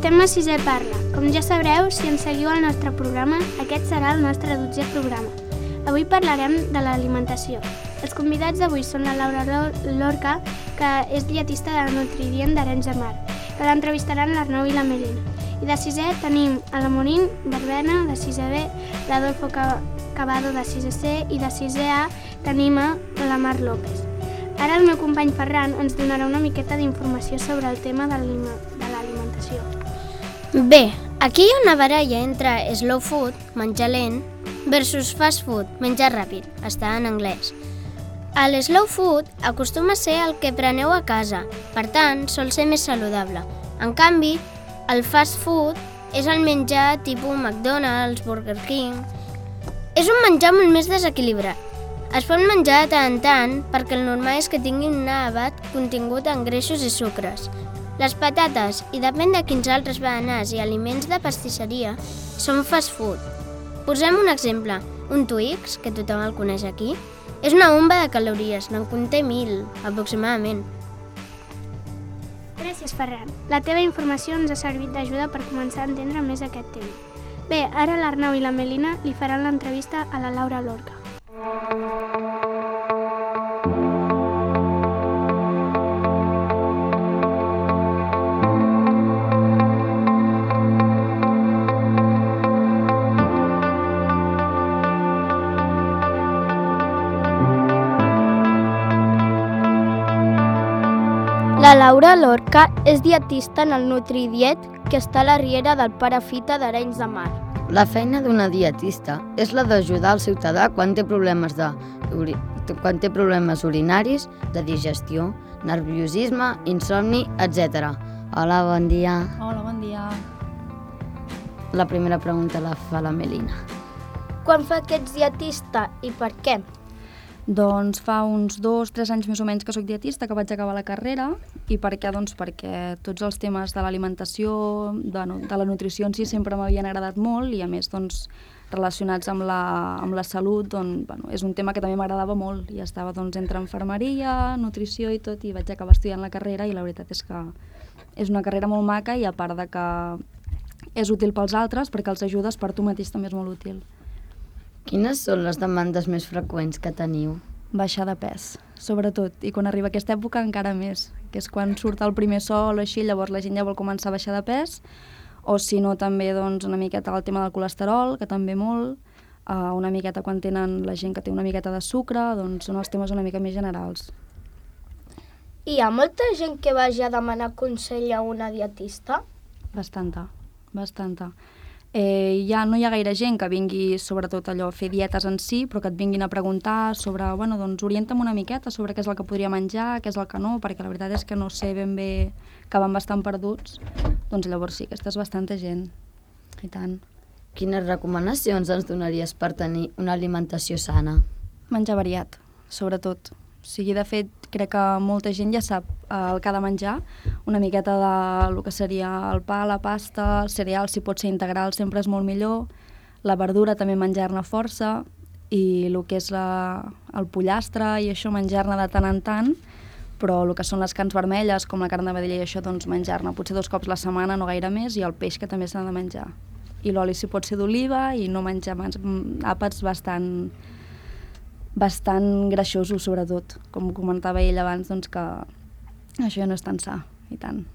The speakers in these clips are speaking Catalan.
Estem a Sisè Parla. Com ja sabreu, si ens seguiu al nostre programa, aquest serà el nostre 12è programa. Avui parlarem de l'alimentació. Els convidats d'avui són la Laura Lorca, que és dietista de Nutridient d'Arenys de Mar, que l'entrevistaran l'Arnau i la Melina. I de sisè tenim a la Morín Barbena, de 6è B, l'Adolfo Cavado, de 6è C, i de 6è A tenim a la Mar López. Ara el meu company Ferran ens donarà una miqueta d'informació sobre el tema de l'alimentació. Bé, aquí hi ha una baralla entre slow food, menjar lent, versus fast food, menjar ràpid, està en anglès. El slow food acostuma a ser el que preneu a casa, per tant, sol ser més saludable. En canvi, el fast food és el menjar tipus McDonald's, Burger King. És un menjar molt més desequilibrat. Es pot menjar de tant en tant perquè el normal és que tinguin un elevat contingut en greixos i sucres. Les patates, i depèn de quins altres berenars i aliments de pastisseria, són fast food. Posem un exemple. Un Twix, que tothom el coneix aquí, és una bomba de calories, n'en conté 1.000, aproximadament. Gràcies, Ferran. La teva informació ens ha servit d'ajuda per començar a entendre més aquest tema. Bé, ara l'Arnau i la Melina li faran l'entrevista a la Laura Lorca. La Laura Lorca és dietista en el Nutridiet, que està a la riera del Pare Fita d'Arenys de Mar. La feina d'una dietista és la d'ajudar el ciutadà quan té problemes urinaris, de digestió, nerviosisme, insomni, etc. Hola, bon dia. Hola, bon dia. La primera pregunta la fa la Melina. Quan fa que ets dietista i per què? Doncs fa uns 2-3 anys més o menys que soc dietista, que vaig acabar la carrera. I per què? Doncs perquè tots els temes de l'alimentació, de la nutrició en si sempre m'havien agradat molt i a més relacionats amb la salut, és un tema que també m'agradava molt i estava entre infermeria, nutrició i tot, i vaig acabar estudiant la carrera i la veritat és que és una carrera molt maca i a part de que és útil pels altres, perquè els ajudes, per tu mateix també és molt útil. Quines són les demandes més freqüents que teniu? Baixar de pes, sobretot, i quan arriba aquesta època encara més, que és quan surt el primer sol o així, llavors la gent ja vol començar a baixar de pes, o si no també una miqueta el tema del colesterol, que també molt, una miqueta quan tenen la gent que té una miqueta de sucre, són els temes una mica més generals. Hi ha molta gent que vagi a demanar consell a una dietista? Bastanta. Ja no hi ha gaire gent que vingui sobretot allò a fer dietes en si, però que et vinguin a preguntar sobre, orienta'm una miqueta sobre què és el que podria menjar, què és el que no, perquè la veritat és que no sé ben bé, que van bastant perduts, doncs llavors sí, aquesta és bastanta gent, i tant. Quines recomanacions ens donaries per tenir una alimentació sana? Menjar variat, sobretot. O sigui, de fet, crec que molta gent ja sap el que ha de menjar, una miqueta del que seria el pa, la pasta, el cereal, si pot ser integral, sempre és molt millor, la verdura també menjar-ne força, i el que és el pollastre i això menjar-ne de tant en tant, però el que són les carns vermelles, com la carn de vedella i això, doncs menjar-ne potser 2 cops la setmana, no gaire més, i el peix que també s'ha de menjar. I l'oli si pot ser d'oliva i no menjar àpats bastant greixosos, sobretot. Com comentava ell abans, doncs que això ja no és tan sa, i tant.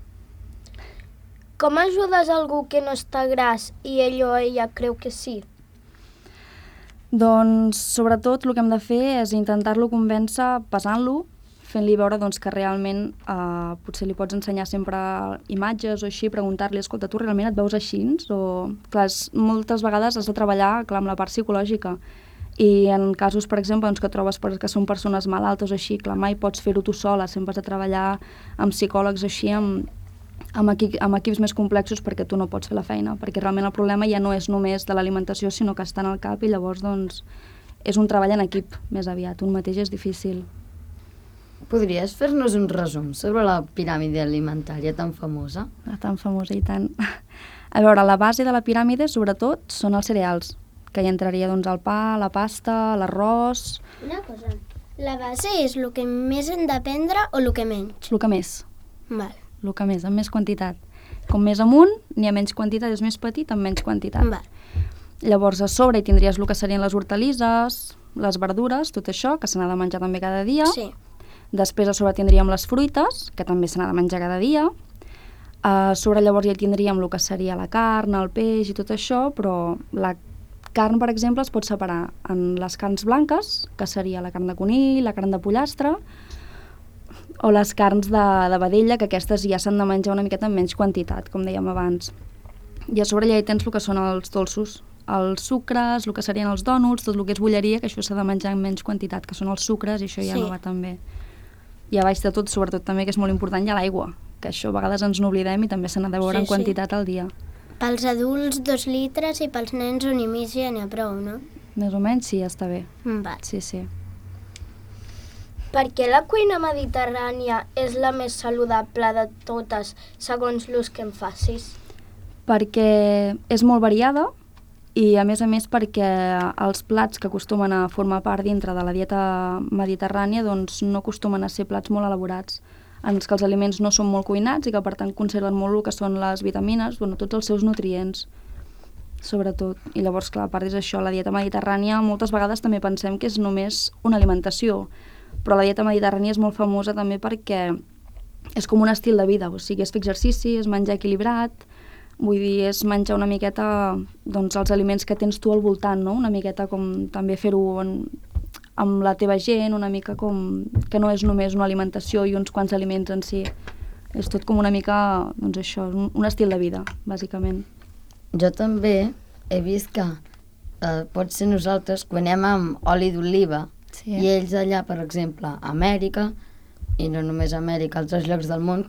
Com ajudes algú que no està gras i ell o ella creu que sí? Doncs, sobretot, el que hem de fer és intentar-lo convèncer pesant-lo, fent-li veure que realment potser li pots ensenyar sempre imatges o així, preguntar-li, escolta, tu realment et veus així? Clar, moltes vegades has de treballar amb la part psicològica. I en casos, per exemple, que trobes que són persones malaltes o així, clar, mai pots fer-ho tu sola, sempre has de treballar amb psicòlegs així, amb equips més complexos, perquè tu no pots fer la feina, perquè realment el problema ja no és només de l'alimentació, sinó que està en el cap i llavors és un treball en equip més aviat, un mateix és difícil. Podries fer-nos un resum sobre la piràmide alimentària tan famosa? Tan famosa i tant. A veure, la base de la piràmide, sobretot, són els cereals, que hi entraria el pa, la pasta, l'arròs... Una cosa, la base és el que més hem de prendre o el que menys? El que més. Val. El que més, amb més quantitat. com més amunt, n'hi ha menys quantitat, és més petit amb menys quantitat. Va. Llavors a sobre hi tindries el que serien les hortalisses, les verdures, tot això, que se n'ha de menjar també cada dia. Sí. Després a sobre tindríem les fruites, que també se n'ha de menjar cada dia. A sobre llavors ja tindríem el que seria la carn, el peix i tot això, però la carn, per exemple, es pot separar en les carns blanques, que seria la carn de conill, la carn de pollastre, o les carns de vedella, que aquestes ja s'han de menjar una miqueta en menys quantitat, com dèiem abans. I a sobre ja hi tens el que són els dolços, els sucres, el que serien els dònuts, tot el que és bolleria, que això s'ha de menjar en menys quantitat, que són els sucres, i això ja Sí. no va tan bé. I a baix de tot, sobretot també, que és molt important, hi ha l'aigua, que això a vegades ens n'oblidem i també se n'ha de beure Sí, en quantitat al dia. Pels adults 2 litres i pels nens 1 i mig ja n'hi ha prou, no? Més o menys sí, està bé. Va. Sí, sí. Per què la cuina mediterrània és la més saludable de totes, segons l'ús que en facis? Perquè és molt variada i a més perquè els plats que acostumen a formar part dintre de la dieta mediterrània doncs no acostumen a ser plats molt elaborats, en els que els aliments no són molt cuinats i que per tant conserven molt el que són les vitamines, bueno, tots els seus nutrients, sobretot. I llavors, clar, a part és això, la dieta mediterrània moltes vegades també pensem que és només una alimentació, però la dieta mediterrània és molt famosa també perquè és com un estil de vida, o sigui, és fer exercici, és menjar equilibrat, vull dir, és menjar una miqueta doncs, els aliments que tens tu al voltant, no? Una miqueta com també fer-ho amb la teva gent, una mica com que no és només una alimentació i uns quants aliments en si. És tot com una mica, doncs això, un estil de vida, bàsicament. Jo també he vist que pot ser nosaltres cuinem amb oli d'oliva Sí. i ells allà, per exemple, a Amèrica, i no només a Amèrica, altres llocs del món,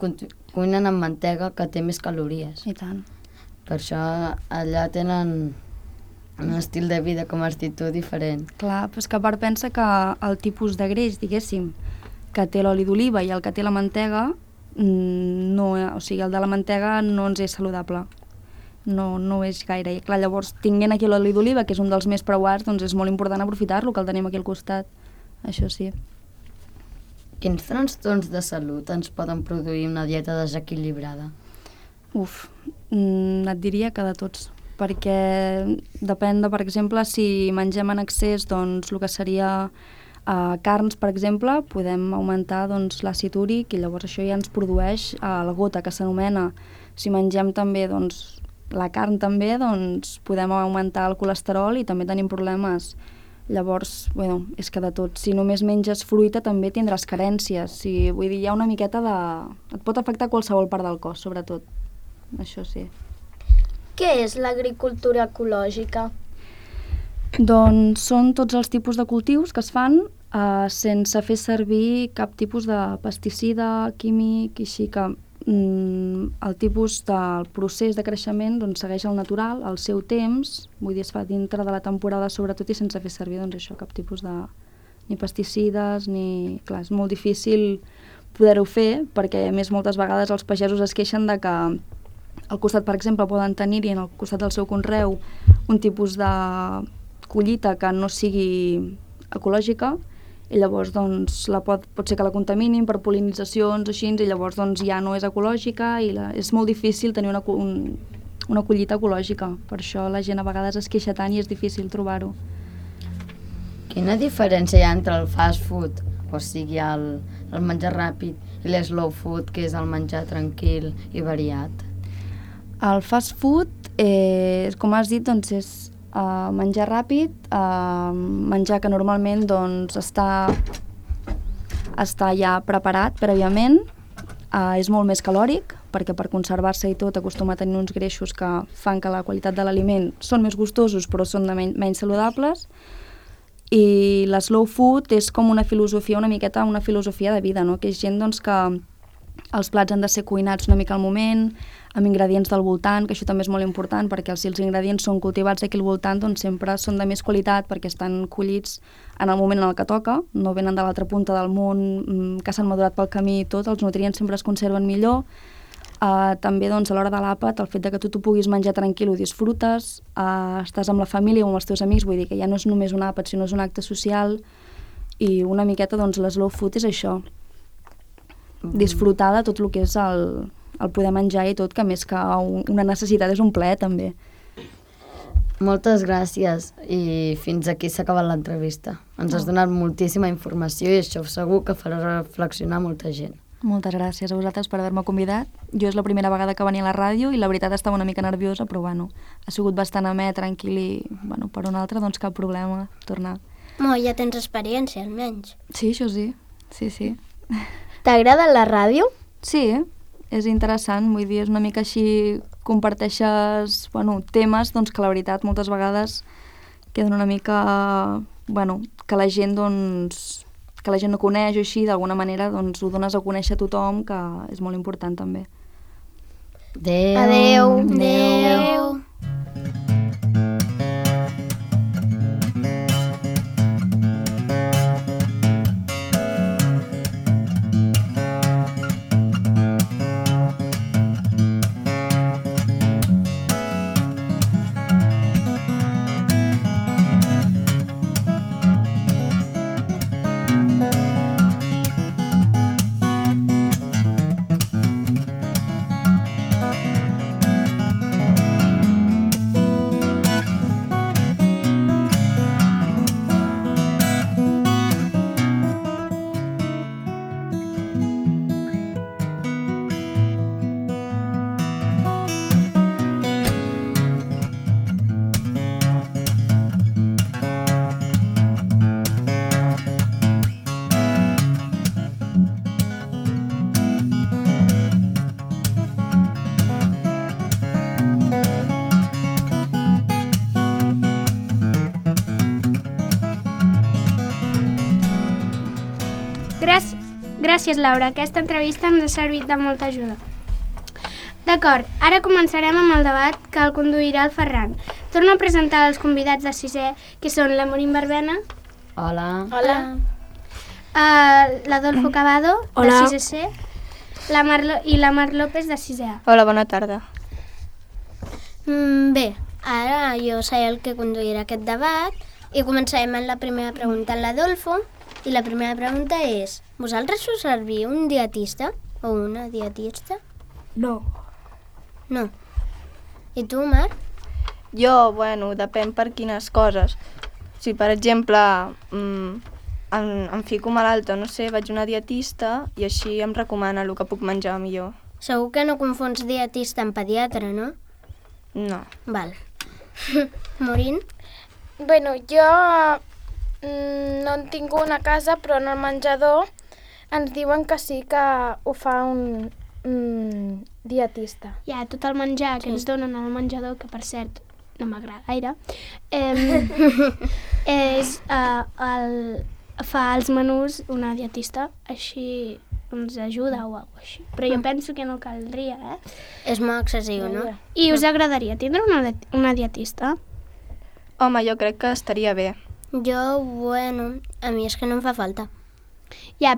cuinen amb mantega que té més calories. I tant. Per això allà tenen un estil de vida, com has dit tu, diferent. Clar, però és que a part pensa que el tipus de greix, diguéssim, que té l'oli d'oliva i el que té la mantega, no, o sigui, el de la mantega no ens és saludable. No és gaire. I clar, llavors, tinguent aquí l'oli d'oliva, que és un dels més preuats, doncs és molt important aprofitar-lo, que el tenim aquí al costat. Això sí. Quins trastorns de salut ens poden produir una dieta desequilibrada? Et diria que de tots, perquè depèn de, per exemple, si mengem en excés doncs, el que seria carns, per exemple, podem augmentar doncs, l'àcid úric i llavors això ja ens produeix la gota, que s'anomena. Si mengem també doncs, la carn també, doncs, podem augmentar el colesterol i també tenim problemes. Llavors, bueno, és que de tot. Si només menges fruita també tindràs carències. Vull dir, hi ha una miqueta de... Et pot afectar qualsevol part del cos, sobretot. Això sí. Què és l'agricultura ecològica? Doncs són tots els tipus de cultius que es fan sense fer servir cap tipus de pesticida, químic, i així que el tipus del procés de creixement doncs, segueix el natural, el seu temps, vull dir, es fa dintre de la temporada sobretot i sense fer servir doncs, això, cap tipus de ni pesticides, ni... Clar, és molt difícil poder-ho fer perquè a més moltes vegades els pagesos es queixen de que al costat, per exemple, poden tenir-hi al costat del seu conreu un tipus de collita que no sigui ecològica i llavors doncs, pot ser que la contaminin per pol·linitzacions o així, i llavors doncs, ja no és ecològica i és molt difícil tenir una collita ecològica. Per això la gent a vegades es queixa tant i és difícil trobar-ho. Quina diferència hi ha entre el fast food, o sigui, el menjar ràpid, i l'slow food, que és el menjar tranquil i variat? El fast food, com has dit, doncs és menjar ràpid, menjar que normalment doncs, està ja preparat prèviament, és molt més calòric, perquè per conservar-se i tot acostuma a tenir uns greixos que fan que la qualitat de l'aliment són més gustosos però són menys saludables, i l'slow food és com una filosofia, una miqueta una filosofia de vida, no? Que és gent doncs, que els plats han de ser cuinats una mica al moment, amb ingredients del voltant, que això també és molt important, perquè si els ingredients són cultivats aquí al voltant, doncs sempre són de més qualitat, perquè estan collits en el moment en el que toca, no venen de l'altra punta del món, que s'han madurat pel camí i tot, els nutrients sempre es conserven millor. També doncs, a l'hora de l'àpat, el fet de que tu t'ho puguis menjar tranquil, ho disfrutes, estàs amb la família o amb els teus amics, vull dir que ja no és només un àpat, sinó és un acte social, i una miqueta doncs, l'slow food és això, disfrutar de tot el que és el poder menjar i tot, que més que una necessitat és un plaer també. Moltes gràcies i fins aquí s'ha acabat l'entrevista. Ens has donat moltíssima informació i això segur que farà reflexionar molta gent. Moltes gràcies a vosaltres per haver-me convidat. Jo és la primera vegada que venia a la ràdio i la veritat estava una mica nerviosa, però bueno, ha sigut bastant amè, tranquil i bueno, per un altre doncs cap problema tornar. Ja tens experiència, almenys. Sí, això sí. Sí. T'agrada la ràdio? Sí, és interessant, vull dir, és una mica així, comparteixes temes doncs, que la veritat moltes vegades queden una mica, que la gent no coneix o així, d'alguna manera doncs, ho dones a conèixer a tothom, que és molt important també. Adeu. Gràcies, Laura. Aquesta entrevista ens ha servit de molta ajuda. D'acord, ara començarem amb el debat que el conduirà el Ferran. Torno a presentar els convidats de sisè, que són la Morín Barbena. Hola. L'Adolfo Cavado, de 6C, i la Mar López, de 6A. Hola, bona tarda. Bé, ara jo seré el que conduirà aquest debat i començarem amb la primera pregunta a l'Adolfo. I la primera pregunta és: vosaltres us serviu un dietista o una dietista? No. No. I tu, Marc? Jo, depèn per quines coses. Si, per exemple, em fico malalta, no sé, vaig a una dietista i així em recomana el que puc menjar millor. Segur que no confons dietista amb pediatre, no? No. Val. Morín? Jo no en tinc una a casa, però en el menjador ens diuen que sí que ho fa un dietista. Tot el menjar que ens donen al menjador, que per cert no m'agrada gaire, fa els menús una dietista, així ens ajuda o alguna cosa així. Però jo penso que no caldria, És molt excessiu, no? I us agradaria tindre una dietista? Home, jo crec que estaria bé. Jo, a mi és que no em fa falta.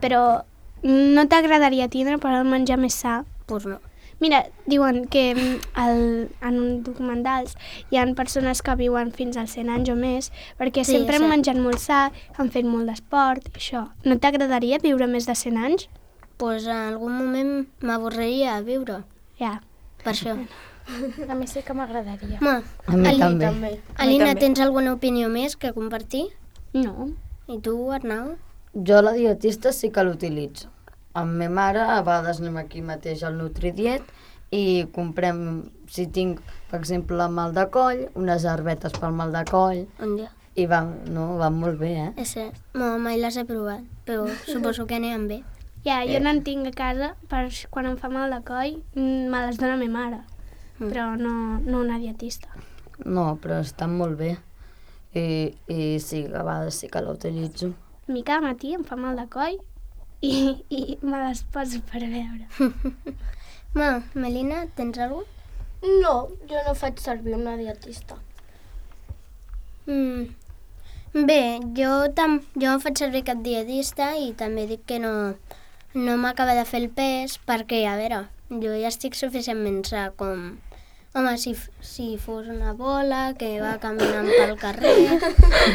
Però no t'agradaria tindre per al menjar més sa? Doncs no. Mira, diuen que en documentals hi ha persones que viuen fins als 100 anys o més perquè sempre han menjat molt sa, han fet molt d'esport, això. No t'agradaria viure més de 100 anys? Doncs en algun moment m'avorriria viure. Per això. A mi sí que m'agradaria. A mi també. Alina, tens alguna opinió més que compartir? No. I tu, Arnau? Jo la dietista sí que l'utilitzo. Amb ma mare a vegades anem aquí mateix al Nutridiet i comprem, si tinc, per exemple, mal de coll, unes herbetes pel mal de coll. I van molt bé, És cert. Mai les he provat, però suposo que aniran bé. Jo n'en tinc a casa, per quan em fa mal de coll, me les dona ma mare. Però no una dietista. No, però estan molt bé. I sí, a vegades sí que l'utilitzo. A mi cada matí em fa mal de coll i me les poso per veure. Melina, tens alguna cosa? No, jo no faig servir una dietista. Bé, jo no faig servir cap dietista i també dic que no m'acaba de fer el pes perquè, a veure, jo ja estic suficientment sa com... Home, si fos una bola que va caminant pel carrer,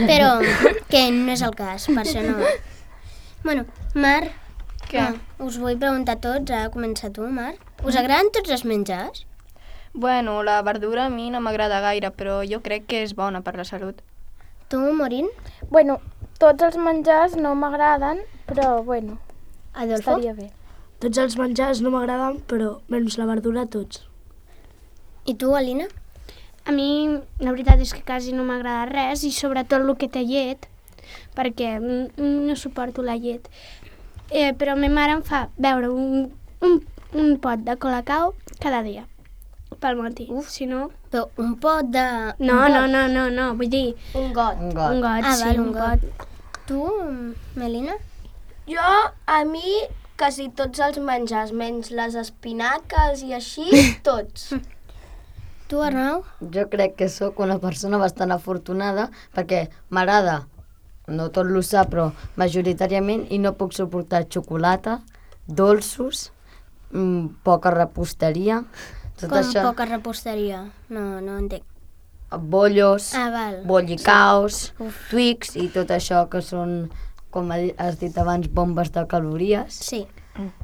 però que no és el cas, per això no. Marc, Què? us vull preguntar a tots, ara comença tu, Marc. Us agraden tots els menjars? Bueno, la verdura a mi no m'agrada gaire, però jo crec que és bona per la salut. Tu, Morín? Bueno, tots els menjars no m'agraden, però bueno, Adolfo? estaria bé. Tots els menjars no m'agraden, però menys la verdura tots. I tu, Alina? A mi la veritat és que quasi no m'agrada res i sobretot el que té llet, perquè no suporto la llet. Però ma mare em fa beure un pot de Colacao cada dia, pel matí. Si no... Però un pot de... No, vull dir... Un got. Un got. Un got, Ah, sí, val, un un pot. Tu, Melina? Jo, a mi, quasi tots els menjars, menys les espinaques i així, tots. Tu, Arnau? Jo crec que sóc una persona bastant afortunada perquè m'agrada, no tot lo sap, però majoritàriament, i no puc suportar xocolata, dolços, poca reposteria, tot Com això, poca reposteria. No entenc. bollos, Ah, val. bollicaos, Twix i tot això que són, com has dit abans, bombes de calories. Sí.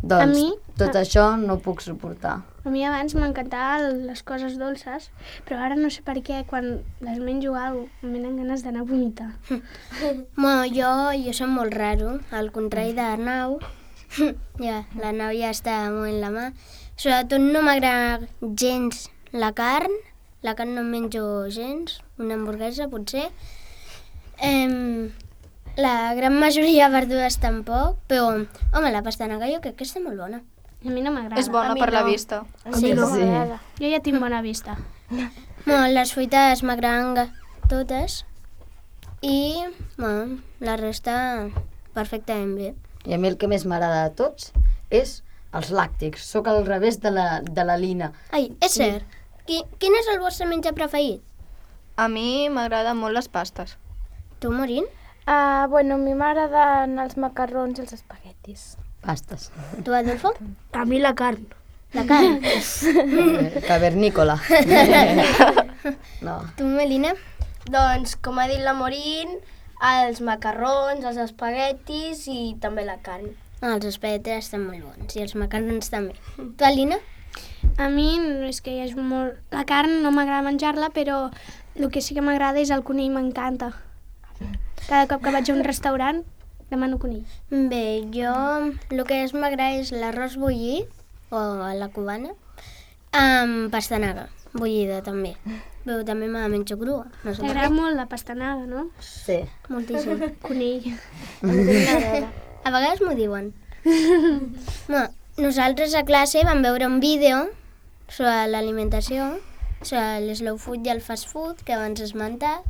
Doncs A mi- tot això no puc suportar. A mi abans m'encantaven les coses dolces, però ara no sé per què, quan les menjo alguna cosa, em venen ganes d'anar a vomitar. Bueno, jo soc molt raro, al contrari d'Arnau. Ja, l'Arnau ja està movent la mà. Sobretot no m'agrada gens la carn no en menjo gens, una hamburguesa potser. La gran majoria de verdures tampoc, però, home, la pastanaga jo crec que està molt bona. A mi no m'agrada. És bona mi per la no. vista. Sí. No Sí. m'agrada. Jo ja tinc bona vista. Bueno, les fruites m'agraden totes i, bueno, la resta perfectament bé. I a mi el que més m'agrada de tots és els làctics. Sóc al revés de la Lina. Ai, és cert. Quin és el vostre menjar preferit? A mi m'agraden molt les pastes. Tu, Morín? Bueno, a mi m'agraden els macarrons i els espaguetis. Pastes. Tu, Adolfo? A mi la carn. La carn. Cavernícola. No. Tu, Melina? Doncs, com ha dit la Morín, els macarrons, els espaguetis i també la carn. Els espaguetis estan molt bons i els macarrons també. Tu, Alina? A mi és que és molt... La carn no m'agrada menjar-la, però el que sí que m'agrada és el conill, m'encanta. Cada cop que vaig a un restaurant demano conill. Bé, jo el que més m'agrada és l'arròs bullit, o la cubana, amb pastanaga, bullida també. Però també me la menjo crua. No sé per T'agrada què. molt la pastanaga, no? Sí. Moltíssim. Conill. A vegades m'ho diuen. Bueno, nosaltres a classe vam veure un vídeo sobre l'alimentació, sobre l'slow food i el fast food, que abans has esmentat,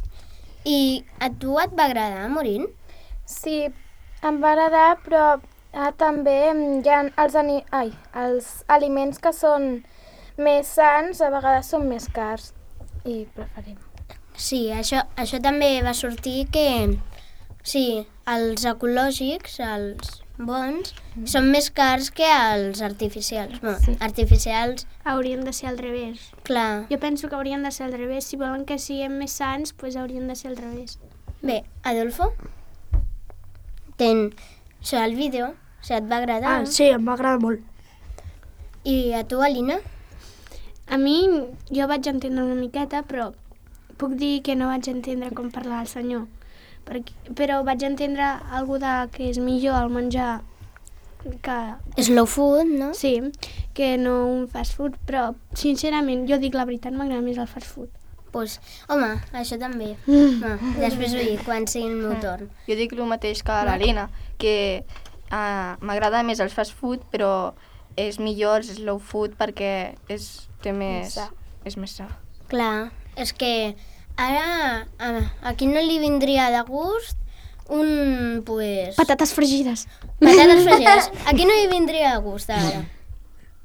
i a tu et va agradar, Morín? Sí, em va agradar, però també hi ha els aliments que són més sans, a vegades són més cars i preferim. Sí, això també va sortir que sí, els ecològics, els bons, són més cars que els artificials. Bueno, artificials, Haurien de ser al revés. clar. Jo penso que haurien de ser al revés. Si volen que siguem més sants, doncs haurien de ser al revés. Bé, Adolfo, sobre el vídeo, et va agradar? Sí, em va agradar molt. I a tu, Alina? A mi, jo vaig entendre una miqueta, però puc dir que no vaig entendre com parlar el senyor. Però vaig entendre alguna que és millor el menjar que... Slow food, no? Sí, que no un fast food, però sincerament, jo dic la veritat, m'agrada més el fast food. Pues, home, això també. No, després ho dic, quan sigui el meu torn. Jo dic el mateix que l'Helena, que m'agrada més el fast food, però és millor el slow food perquè és més sa. Clar, és que ara a qui no li vindria de gust pues... Patates fregides. Patates fregides. A qui no li vindria de gust ara?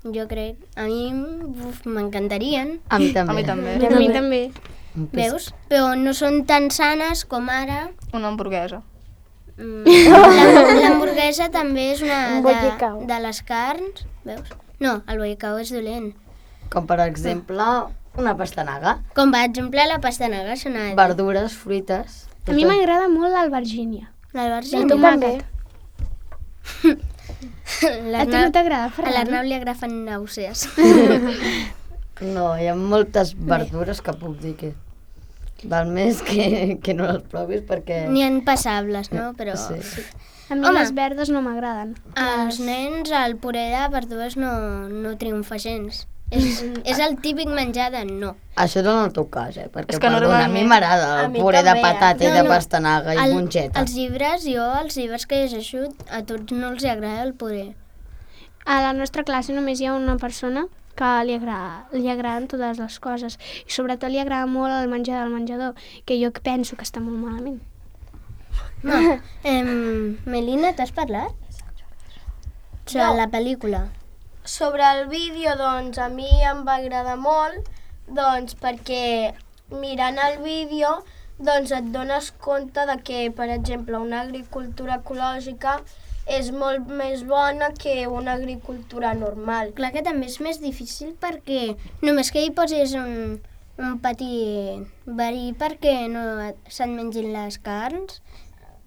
Jo crec, a mi m'encantarien. A mi també. A mi també. I a mi també. Veus? Però no són tan sanes com ara. Una hamburguesa. L'hamburguesa també és una Un bollicau. de les carns. Veus? No, el bollicau és dolent. Com per exemple una pastanaga, Com per exemple la pastanaga, sonava. verdures, fruites... A mi m'agrada molt l'albergínia. L'albergínia. I tu també. A tu no t'agrada, A Ferran? l'Arnau li agafen nàusees. No, hi ha moltes verdures que puc dir que val més que no les provis perquè... N'hi ha passables, no? Però Sí. A mi Home. les verdes no m'agraden. als nens el puré de verdures no triomfa gens. És el típic menjar de no. Això no en el teu cas, perquè És que perdona, a mi normalment- m'agrada a el mi puré de també, patata i No, de no. pastanaga i mongeta. Els llibres que llegeixo, a tots no els agrada el puré. A la nostra classe només hi ha una persona que li agraden totes les coses. I sobretot li agrada molt el menjar del menjador, que jo penso que està molt malament. No. Melina, t'has parlat? Sobre No. la pel·lícula. Sobre el vídeo, doncs, a mi em va agradar molt, doncs, perquè mirant el vídeo, doncs, et dones compte de que, per exemple, una agricultura ecològica és molt més bona que una agricultura normal. Clar que també és més difícil perquè només que hi posis un petit verí perquè no se'n mengin les carns,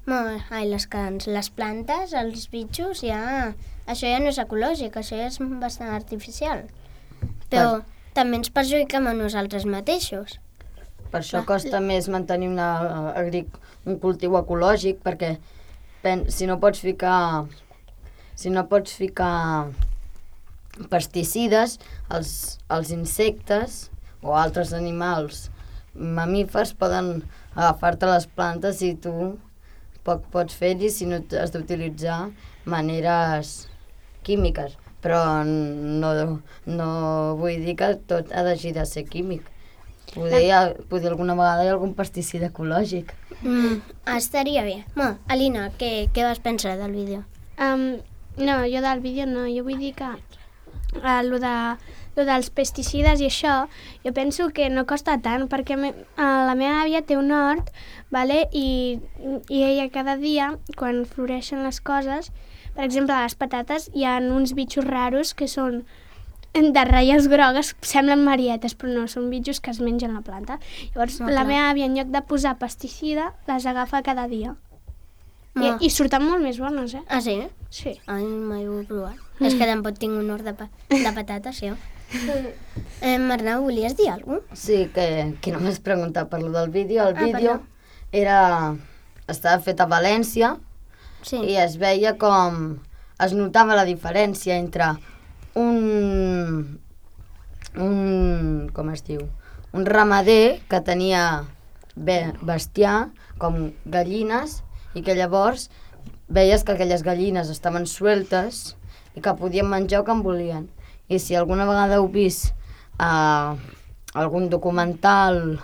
les plantes, els bitxos, ja... Això ja no és ecològic, això ja és bastant artificial. Però també ens perjudiquem a nosaltres mateixos. Per això costa més mantenir un cultiu ecològic, perquè si no pots ficar pesticides, els insectes o altres animals mamífers poden agafar-te les plantes i tu poc pots fer-hi si no has d'utilitzar maneres químiques. Però no vull dir que tot ha de ser químic. Poder alguna vegada hi ha algun pesticida ecològic. Estaria bé. Alina, què vas pensar del vídeo? No, jo del vídeo no. Jo vull dir que lo dels pesticides i això, jo penso que no costa tant, perquè la meva àvia té un hort, vale? I ella cada dia, quan floreixen les coses, per exemple, a les patates, hi ha uns bitxos raros que són de ratlles grogues, semblen marietes, però no, són bitxos que es mengen la planta. Llavors, la meva àvia, en lloc de posar pesticida, les agafa cada dia. I surten molt més bones, Ah, sí? Sí. Ai, mai ho he provat. És que tampoc tinc un hort de patates, jo. Arnau, volies dir alguna cosa? Sí, que no m'has preguntat per lo del vídeo. El vídeo estava fet a València i es veia com es notava la diferència entre un ramader que tenia bestiar, com gallines, i que llavors veies que aquelles gallines estaven sueltes i que podien menjar el que en volien. I si alguna vegada heu vist algun documental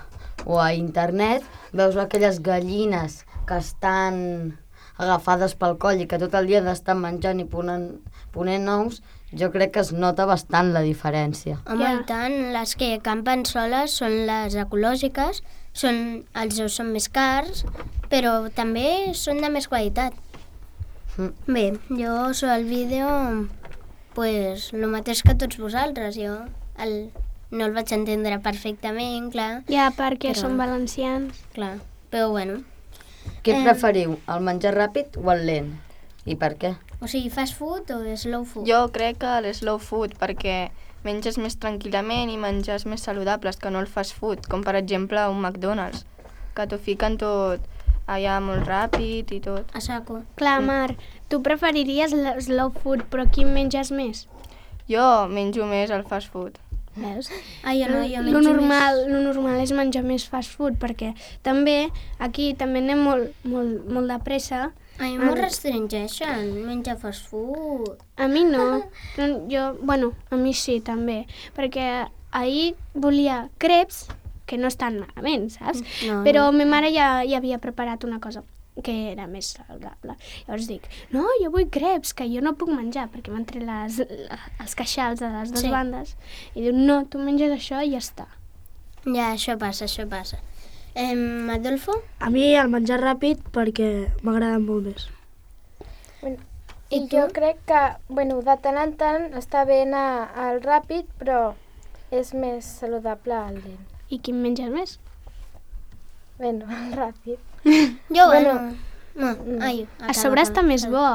o a internet, veus aquelles gallines que estan agafades pel coll i que tot el dia estan menjant i ponent nous, jo crec que es nota bastant la diferència. Home, i tant, les que campen soles són les ecològiques, els ous són més cars, però també són de més qualitat. Bé, jo sobre el vídeo, pues, el mateix que tots vosaltres, jo no el vaig entendre perfectament, clar. Ja, perquè són valencians. Clar, però bueno. Què preferiu, el menjar ràpid o el lent? I per què? O sigui, fast food o slow food? Jo crec que l'slow food, perquè menges més tranquil·lament i menges més saludables que no el fast food, com per exemple un McDonald's, que t'ho fiquen tot allà molt ràpid i tot. A saco. Clar, Mar, tu preferiries slow food, però quin menges més? Jo menjo més el fast food. Veus? Jo no, jo Lo menjo més. normal és menjar més fast food, perquè també, aquí també anem molt de pressa. Ai, m'ho restringeixen, menjar fast food. A mi no. A mi sí, també. Perquè ahir volia creps, que no estan malament, saps? No, Però ma mare ja havia preparat una cosa que era més saludable. Llavors dic, no, jo vull creps, que jo no puc menjar, perquè m'han tret els queixals de les dues bandes. I diu, no, tu menges això i ja està. Ja, això passa. Adolfo? A mi el menjar ràpid perquè m'agrada molt més. I jo crec que, de tant en tant està bé anar al ràpid, però és més saludable el lent. I quin menges més? El ràpid. Jo, A sobre està més bo,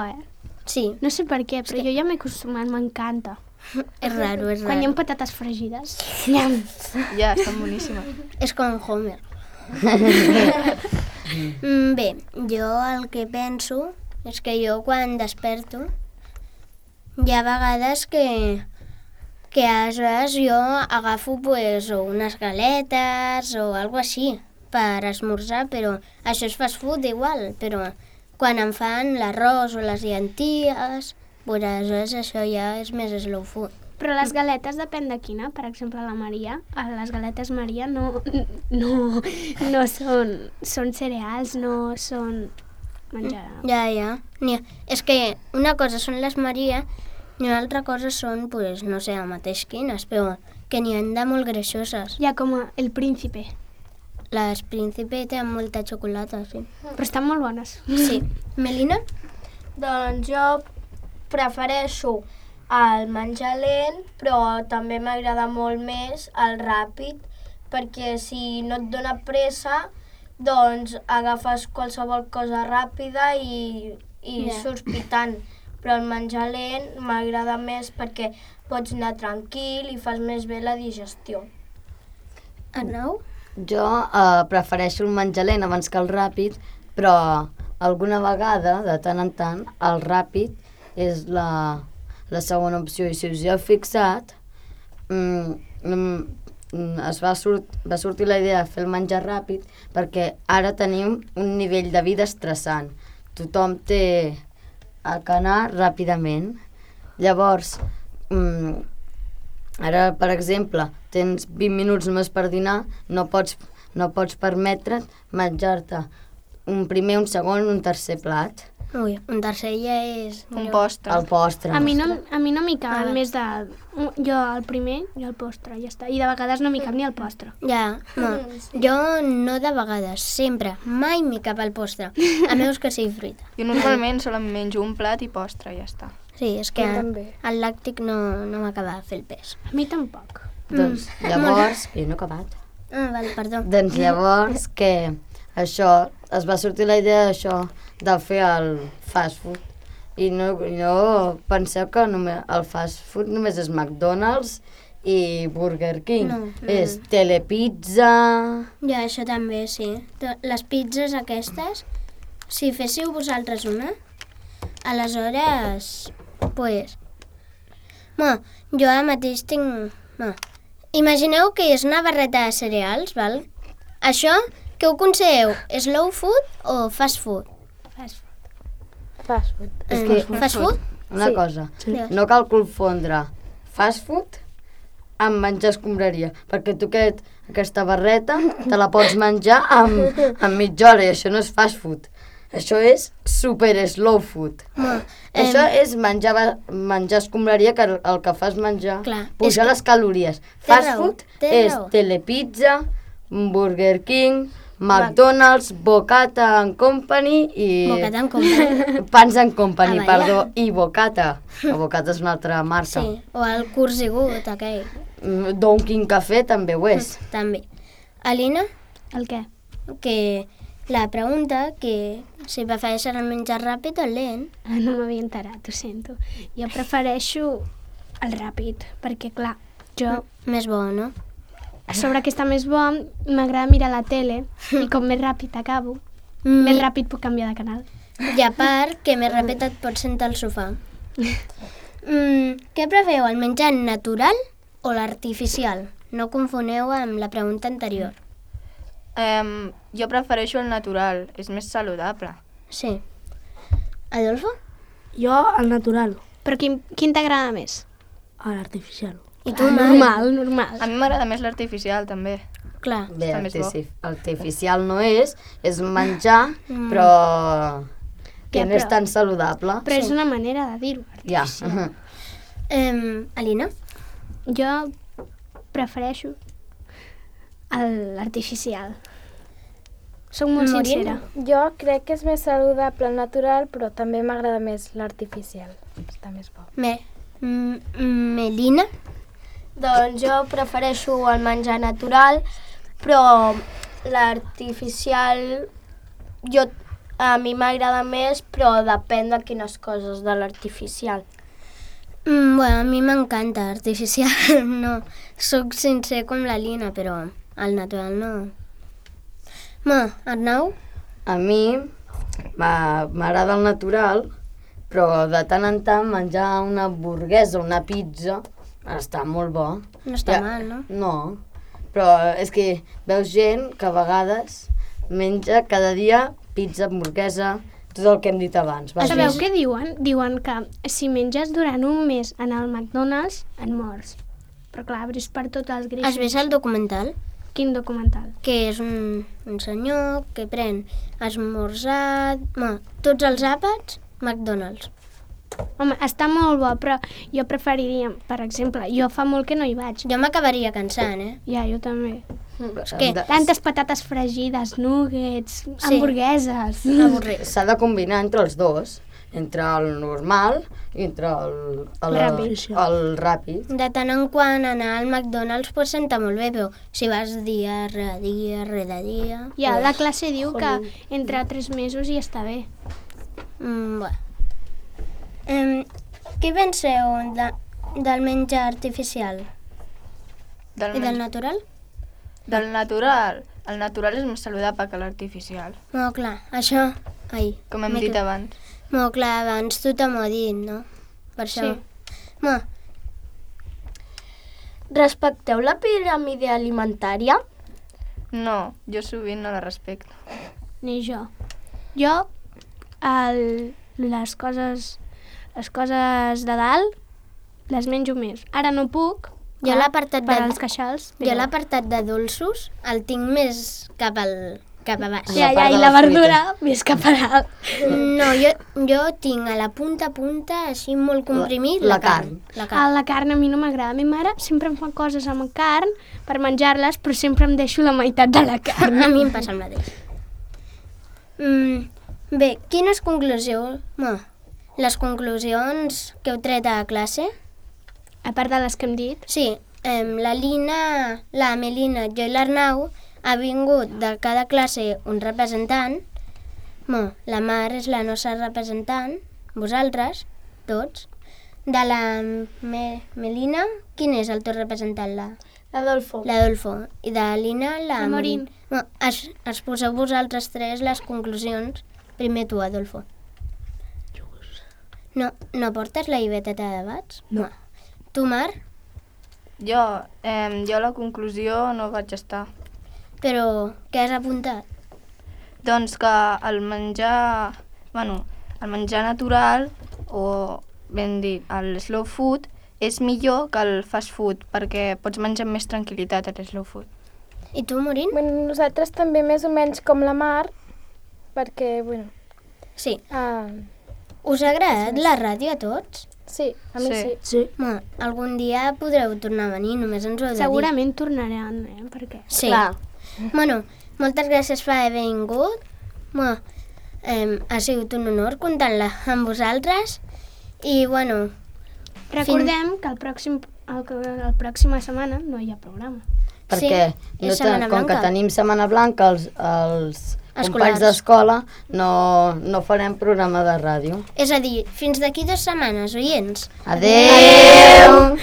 Sí, No sé per què, però jo ja m'he acostumat, m'encanta. és raro, és Quan hi ha raro. patates fregides, nyam. Ja, estan boníssimes. És com Homer. Bé, jo el que penso és que jo quan desperto hi ha vegades que aleshores jo agafo pues, o unes galetes o alguna així per esmorzar, però això és fast food igual, però quan em fan l'arròs o les llenties, pues, aleshores això ja és més slow food. Però les galetes depèn de quina. Per exemple, la Maria, les galetes Maria no són cereals, no són menjar. Ja. És que una cosa són les Maria i una altra cosa són, pues, no sé, el mateix quines, però que n'hi ha de molt greixoses. Ja com el príncipe. Les Príncipe tenen molta xocolata, sí. Però estan molt bones. Sí. Melina? Doncs jo prefereixo el menjar lent, però també m'agrada molt més el ràpid, perquè si no et dóna pressa, doncs agafes qualsevol cosa ràpida i surts pitant. Però el menjar lent m'agrada més perquè pots anar tranquil i fas més bé la digestió. Arnau? Jo prefereixo el menjar lent abans que el ràpid, però alguna vegada, de tant en tant, el ràpid és la segona opció. I si us hi heu fixat, va sortir la idea de fer el menjar ràpid perquè ara tenim un nivell de vida estressant. Tothom té que anar ràpidament. Llavors, ara, per exemple, tens 20 minuts només per dinar, no pots permetre't menjar-te un primer, un segon, un tercer plat. Ui, un tercer ja és... Un postre. El postre. A mi no m'hi cap més de... Jo el primer i el postre, ja està. I de vegades no m'hi cap ni el postre. Ja, no. Jo no de vegades, sempre. Mai m'hi cap el postre. A menys que sigui fruita. Jo normalment sols em menjo un plat i postre, ja està. Sí, és que Jo també. el làctic no m'acaba de fer el pes. A mi tampoc. Doncs llavors... Jo no he acabat. Val, perdó. Doncs llavors que això, es va sortir la idea d'això, de fer el fast food. I no penseu que el fast food només és McDonald's i Burger King. No. És Telepizza... Ja, això també, sí. Les pizzas aquestes, si féssiu vosaltres una, aleshores, pues... jo ara mateix tinc... Imagineu que és una barreta de cereals, val? Això, què ho considereu? Slow food o fast food? Fast food. Fast food? Una cosa, no cal confondre fast food amb menjar escombraria, perquè tu aquesta barreta te la pots menjar en mitja hora i això no és fast food. Això és super slow food. Això és menjar escombraria, que el que fa és menjar, pujar les calories. Fast food és Telepizza, Burger King, McDonald's, Bocata and Company i... Bocata and Company. Pans and Company, perdó, i Bocata. La Bocata és una altra marca. Sí, o el cursigut aquell. Dunkin' Café també ho és. També. Alina? El què? Que la pregunta, que si prefereixes el menjar ràpid o el lent. No m'havia enterat, ho sento. Jo prefereixo el ràpid, perquè clar, jo... Més bo, no? A sobre que està més bo, m'agrada mirar la tele i com més ràpid acabo, més ràpid puc canviar de canal. I a part, que més ràpid et pots sentar al sofà. Què prefeu, el menjar natural o l'artificial? No confoneu amb la pregunta anterior. Jo prefereixo el natural, és més saludable. Sí. Adolfo? Jo, el natural. Però quin t'agrada més? L'artificial. I tu, Normal. A mi m'agrada més l'artificial, també. Clar. Bé, Està més bo. artificial no és menjar, però que no és tan saludable. Però és una manera de dir-ho. Ja. Alina? Jo prefereixo l'artificial. Soc molt sincera. Jo crec que és més saludable el natural, però també m'agrada més l'artificial. Està més bo. Melina? Doncs jo prefereixo el menjar natural, però l'artificial jo A mi m'agrada més, però depèn de quines coses, de l'artificial. Bueno, a mi m'encanta artificial, no. Soc sincer com la Lina, però el natural no. Arnau? A mi m'agrada el natural, però de tant en tant menjar una hamburguesa o una pizza està molt bo. No està mal, no? No, però és que veus gent que a vegades menja cada dia pizza, hamburguesa, tot el que hem dit abans. Sabeu què diuen? Diuen que si menges durant un mes en el McDonald's, et mors. Però clar, és per tots els greixos. Has vist el documental? Quin documental? Que és un senyor que pren esmorzar... tots els àpats, McDonald's. Home, està molt bo, però jo preferiria, per exemple, jo fa molt que no hi vaig. Jo m'acabaria cansant, Ja, jo també. És que Tantes patates fregides, nuggets, hamburgueses. avorrit. S'ha de combinar entre els dos, entre el normal i entre el ràpid. De tant en quant anar al McDonald's pot sentar molt bé, però si vas dia rere dia... Ja, la classe diu que entre 3 mesos ja està bé. Bueno. Què penseu del menjar artificial? I del natural? Del natural. El natural és més saludable que l'artificial. Molt clar, això... Com hem dit abans. Molt clar, abans tothom ho ha dit, no? Per això. Sí. Respecteu la piràmide alimentària? No, jo sovint no la respecto. Ni jo. Jo, les coses de dalt les menjo més. Ara no puc, Jo l'apartat per als queixals. Jo l'apartat de dolços el tinc més cap a baix. Ja, i la verdura més cap a dalt. No, jo tinc a la punta, així molt comprimit, la carn. La carn a mi no m'agrada. Mi mare sempre em fa coses amb carn per menjar-les, però sempre em deixo la meitat de la carn. A mi em passa el mateix. Bé, quines conclusions... Les conclusions que heu tret a classe? A part de les que hem dit. Sí, la Lina, la Melina, jo i l'Arnau ha vingut de cada classe un representant. La Mar és la nostra representant, vosaltres, tots. De la Melina, quin és el teu representant? L'Adolfo. L'Adolfo. I de la Lina, la Morín. Es poseu vosaltres tres les conclusions. Primer tu, Adolfo. No portes la llibreta de debats? No. Tu, Mar? Jo a la conclusió no vaig estar. Però què has apuntat? Doncs que el menjar natural, o ben dit, el slow food, és millor que el fast food, perquè pots menjar amb més tranquil·litat el slow food. I tu, Morín? Bueno, nosaltres també més o menys com la Mar, perquè, bueno... Sí. Us ha agradat la ràdio a tots? Sí, a mi sí. Sí. Algun dia podreu tornar a venir, només ens ho heu de dir. Segurament tornaran, perquè... Sí. Clar. Moltes gràcies per haver vingut. Ha sigut un honor comptar-la amb vosaltres. I, recordem que la pròxima setmana no hi ha programa. Perquè com que tenim Setmana Blanca, els companys d'escola no farem programa de ràdio. És a dir, fins d'aquí 2 setmanes, oients. Adeu!